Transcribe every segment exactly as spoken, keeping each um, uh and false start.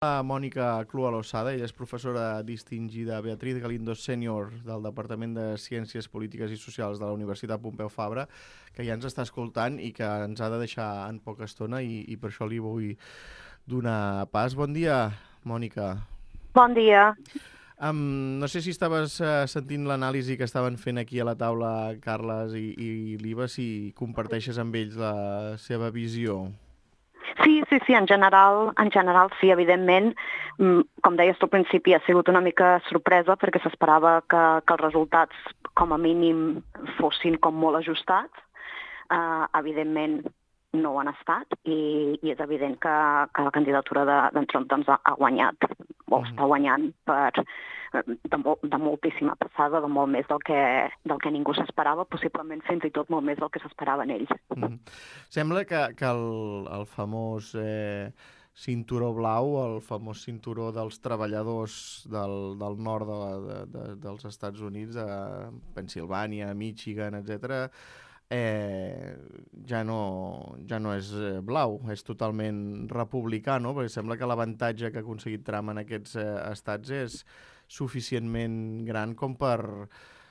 La Mònica Clua Losada, ella és professora distingida Beatriz Galindo Sènior del Departament de Ciències Polítiques i Socials de la Universitat Pompeu Fabra, que ja ens està escoltant i que ens ha de deixar en poca estona i, i per això li vull donar pas. Bon dia, Mònica. Bon dia. Um, no sé si estaves uh, sentint l'anàlisi que estaven fent aquí a la taula Carles i, i l'Iva, si comparteixes amb ells la seva visió. Sí, sí, sí, en general, en general sí, evidentment. Com deies tu al principi, ha sigut una mica sorpresa perquè s'esperava que, que els resultats com a mínim fossin com molt ajustats. Uh, evidentment no ho han estat i, i és evident que, que la candidatura d'en de, Trump doncs, ha, ha guanyat, o està guanyant per, de, molt, de moltíssima passada, de molt més del que, del que ningú s'esperava, possiblement fins i tot molt més del que s'esperaven ells. Mm. Sembla que, que el, el famós eh, cinturó blau, el famós cinturó dels treballadors del, del nord de, de, de, dels Estats Units, a Pennsilvània, Michigan, etcètera, Eh, ja, no, ja no és blau, és totalment republicà, no? Perquè sembla que l'avantatge que ha aconseguit Trump en aquests eh, estats és suficientment gran com per,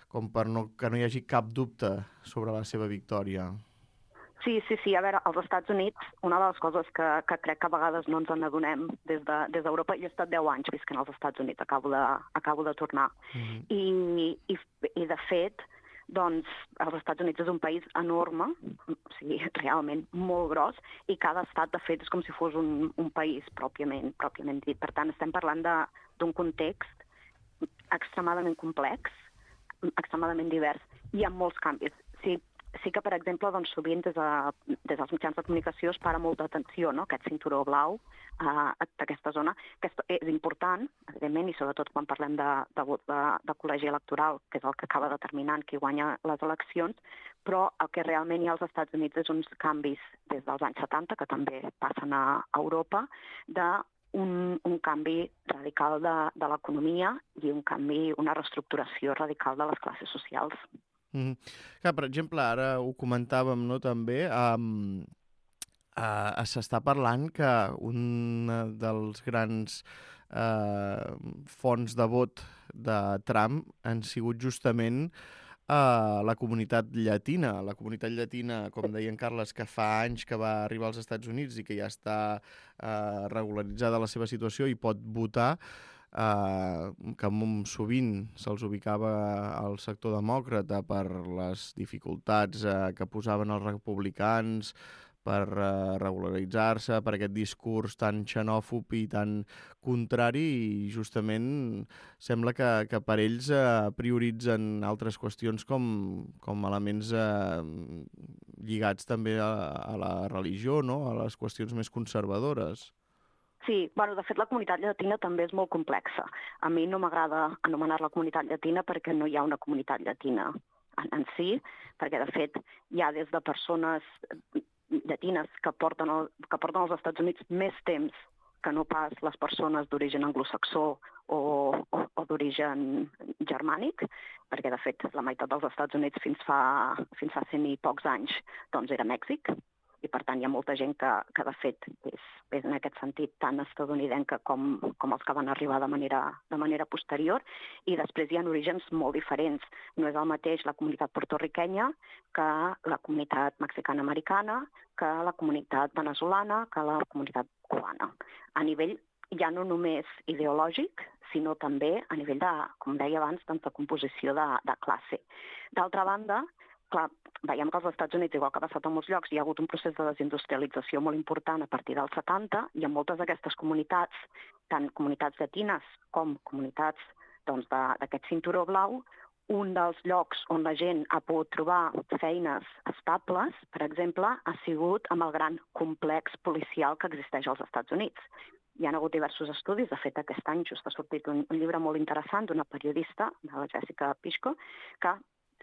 com per no, que no hi hagi cap dubte sobre la seva victòria. Sí, sí, sí. A veure, als Estats Units, una de les coses que, que crec que a vegades no ens n'adonem des de, des d'Europa, jo he estat deu anys visquent als Estats Units, acabo de, acabo de tornar. Mm-hmm. I, i, I, de fet, doncs els Estats Units és un país enorme, o sigui, realment molt gros, i cada estat, de fet, és com si fos un, un país pròpiament, pròpiament dit. Per tant, estem parlant d'un context extremadament complex, extremadament divers, i amb molts canvis. Sí, sí que, per exemple, doncs, sovint des, de, des dels mitjans de comunicació es para molta atenció, no?, aquest cinturó blau uh, d'aquesta zona, que és important, evidentment, i sobretot quan parlem de, de vot de, de col·legi electoral, que és el que acaba determinant qui guanya les eleccions, però el que realment hi ha als Estats Units és uns canvis des dels anys setanta, que també passen a Europa, de un, un canvi radical de, de l'economia i un canvi, una reestructuració radical de les classes socials. Mm. Clar, per exemple, ara ho comentàvem, no, també, um, uh, s'està parlant que un dels grans uh, fonts de vot de Trump han sigut justament uh, la comunitat llatina. La comunitat llatina, com deia en Carles, que fa anys que va arribar als Estats Units i que ja està uh, regularitzada la seva situació i pot votar, Uh, que sovint se'ls ubicava al sector demòcrata per les dificultats uh, que posaven els republicans per uh, regularitzar-se, per aquest discurs tan xenòfob i tan contrari, i justament sembla que, que per ells uh, prioritzen altres qüestions com, com elements uh, lligats també a, a la religió, no?, a les qüestions més conservadores. Sí, bueno, de fet la comunitat llatina també és molt complexa. A mi no m'agrada anomenar-la comunitat llatina perquè no hi ha una comunitat llatina en, en si, perquè de fet hi ha des de persones llatines que porten, el, que porten als Estats Units més temps que no pas les persones d'origen anglosaxó o, o, o d'origen germànic, perquè de fet la meitat dels Estats Units fins fa, fins fa cent i pocs anys doncs era Mèxic, i per tant hi ha molta gent que, que de fet és, és en aquest sentit tan estadounidenca com, com els que van arribar de manera, de manera posterior, i després hi ha orígens molt diferents. No és el mateix la comunitat portorriquenya que la comunitat mexicana-americana, que la comunitat venezolana, que la comunitat cubana. A nivell ja no només ideològic, sinó també a nivell de, com deia abans, doncs de composició de, de classe. D'altra banda, clar, veiem que als Estats Units, igual que ha passat a molts llocs, hi ha hagut un procés de desindustrialització molt important a partir dels setanta, i en moltes d'aquestes comunitats, tant comunitats llatines com comunitats doncs, d'aquest cinturó blau, un dels llocs on la gent ha pogut trobar feines estables, per exemple, ha sigut amb el gran complex policial que existeix als Estats Units. Hi ha hagut diversos estudis, de fet aquest any just ha sortit un, un llibre molt interessant d'una periodista, de la Jessica Pishko, que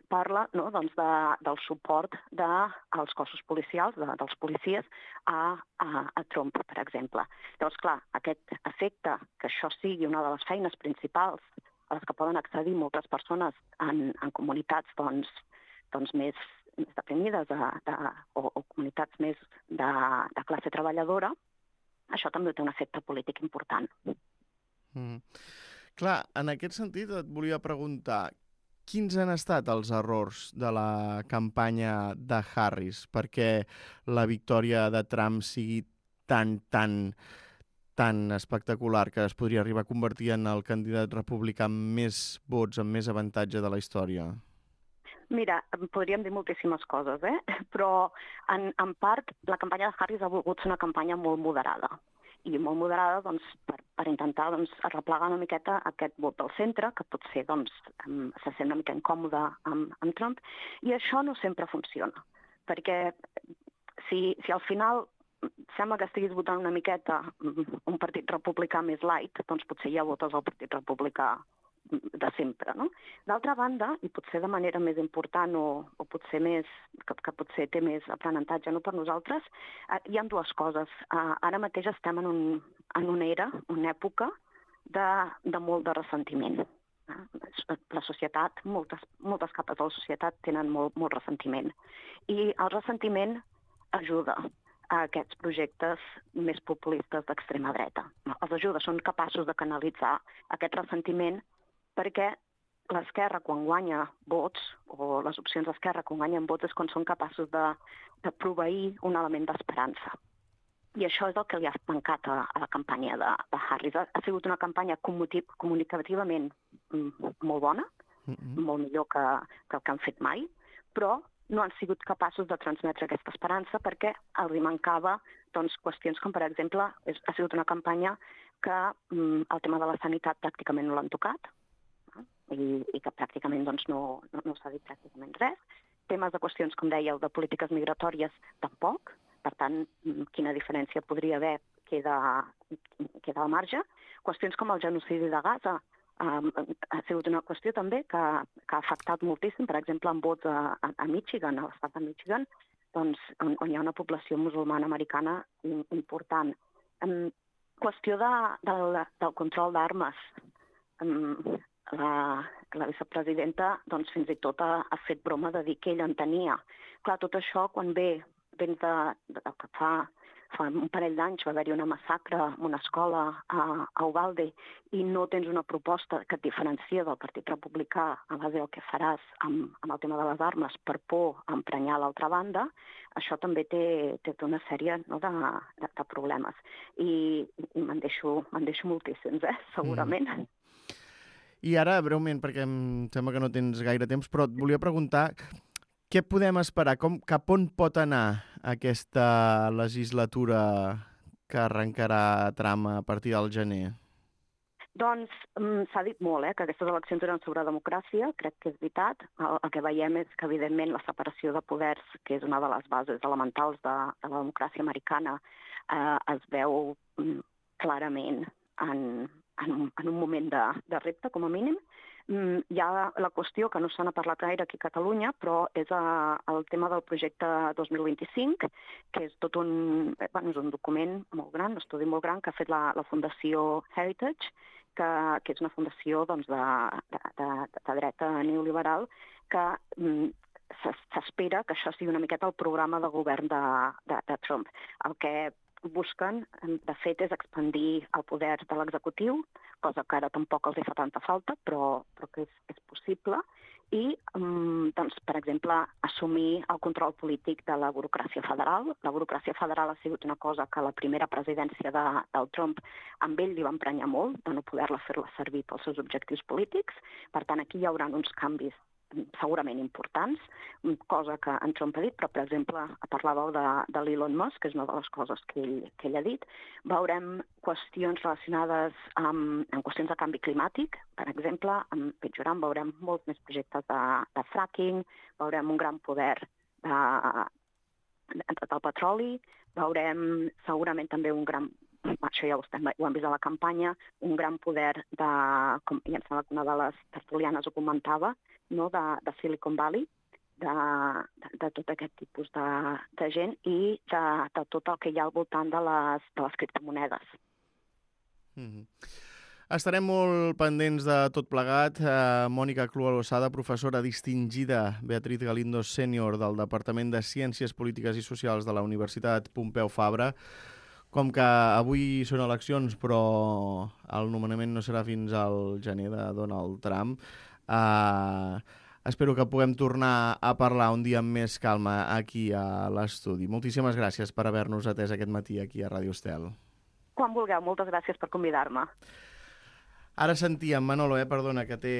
parla no, doncs de, del suport dels cossos policials, de, dels policies, a, a, a Trump, per exemple. Llavors, clar, aquest efecte, que això sigui una de les feines principals a les que poden accedir moltes persones en, en comunitats doncs, doncs més, més deprimides de, de, o, o comunitats més de, de classe treballadora, això també té un efecte polític important. Mm. Clar, en aquest sentit et volia preguntar, quins han estat els errors de la campanya de Harris perquè la victòria de Trump sigui tan, tan, tan espectacular que es podria arribar a convertir en el candidat republicà amb més vots, amb més avantatge de la història? Mira, podríem dir moltíssimes coses, eh? Però en, en part la campanya de Harris ha volgut ser una campanya molt moderada. I molt moderada doncs, per, per intentar doncs, arreplegar una miqueta aquest vot del centre, que potser doncs, se sent una mica incòmode amb, amb Trump, i això no sempre funciona. Perquè si, si al final sembla que estiguis votant una miqueta un partit republicà més light, doncs potser ja votes el partit republicà de sempre, no? D'altra banda, i potser de manera més important o, o potser més, que, que potser té més aprenentatge no per nosaltres, eh, hi ha dues coses. Eh, ara mateix estem en, un, en una era, una època de, de molt de ressentiment. Eh? La societat, moltes, moltes capes de la societat tenen molt, molt ressentiment. I el ressentiment ajuda a aquests projectes més populistes d'extrema dreta. Els ajuda, són capaços de canalitzar aquest ressentiment perquè l'esquerra, quan guanya vots, o les opcions d'esquerra, quan guanyen vots, és quan són capaços de, de proveir un element d'esperança. I això és el que li ha mancat a, a la campanya de, de Harris. Ha, ha sigut una campanya comunicativament molt bona, mm-hmm. molt millor que, que el que han fet mai, però no han sigut capaços de transmetre aquesta esperança perquè els hi mancava doncs, qüestions com, per exemple, és, ha sigut una campanya que mm, el tema de la sanitat pràcticament no l'han tocat, I, i que pràcticament doncs, no, no, no s'ha dit pràcticament res. Temes de qüestions, com dèieu, de polítiques migratòries, tampoc. Per tant, quina diferència podria haver queda, queda al marge. Qüestions com el genocidi de Gaza um, ha sigut una qüestió també que, que ha afectat moltíssim, per exemple, en vots a, a Michigan, a l'estat de Michigan, doncs, on, on hi ha una població musulmana americana important. Um, qüestió de, del, del control d'armes. Um, La, la vicepresidenta doncs, fins i tot ha, ha fet broma de dir que ella en tenia. Clar, tot això, quan ve, vens de, de, de que fa, fa un parell d'anys va haver-hi una massacre en una escola a, a Uvalde i no tens una proposta que et diferencia del Partit Republicà a base del que faràs amb, amb el tema de les armes per por a emprenyar l'altra banda, això també té, té una sèrie no, de, de, de problemes. I, i me'n deixo, me'n deixo moltíssims, eh, segurament. Mm. I ara, breument, perquè em sembla que no tens gaire temps, però et volia preguntar què podem esperar, com, cap on pot anar aquesta legislatura que arrencarà Trump a partir del gener? Doncs s'ha dit molt, eh, que aquestes eleccions eren sobre democràcia, crec que és veritat. El, el que veiem és que, evidentment, la separació de poders, que és una de les bases elementals de, de la democràcia americana, eh, es veu mm, clarament en... En un, en un moment de, de repte, com a mínim. Mm, hi ha la qüestió que no se n'ha parlat gaire aquí a Catalunya, però és a, el tema del projecte dos mil vint-i-cinc, que és tot un, bueno, és un document molt gran, un estudi molt gran que ha fet la, la Fundació Heritage, que, que és una fundació doncs, de, de, de, de dreta neoliberal, que mm, s'espera que això sigui una miqueta el programa de govern de, de, de Trump. El que busquen, de fet, és expandir el poder de l'executiu, cosa que ara tampoc els hi fa tanta falta, però, però que és, és possible, i, um, doncs, per exemple, assumir el control polític de la burocràcia federal. La burocràcia federal ha sigut una cosa que la primera presidència de, del Trump amb ell li va emprenyar molt, de no poder-la fer-la servir pels seus objectius polítics. Per tant, aquí hi haurà uns canvis segurament importants, cosa que en Trump ha dit, però, per exemple, parlàveu de, de l'Elon Musk, que és una de les coses que ell, que ell ha dit. Veurem qüestions relacionades amb, amb qüestions de canvi climàtic, per exemple, amb Pitjorant veurem molts més projectes de, de fracking, veurem un gran poder de, de, del petroli, veurem segurament també un gran, això ja ho, estem, ho hem vist a la campanya, un gran poder de, com ja em sembla que una de les tertulianes ho comentava, no, de, de Silicon Valley, de, de, de tot aquest tipus de, de gent i de, de tot el que hi ha al voltant de les, de les criptomonedes. Mm-hmm. Estarem molt pendents de tot plegat. Uh, Mònica Clua-Losada, professora distingida, Beatriz Galindo, sènior del Departament de Ciències Polítiques i Socials de la Universitat Pompeu Fabra. com que avui són eleccions però el nomenament no serà fins al gener de Donald Trump, eh, espero que puguem tornar a parlar un dia amb més calma aquí a l'estudi. Moltíssimes gràcies per haver-nos atès aquest matí aquí a Ràdio Estel. Quan vulgueu, moltes gràcies per convidar-me. Ara sentíem, Manolo, eh, perdona, que té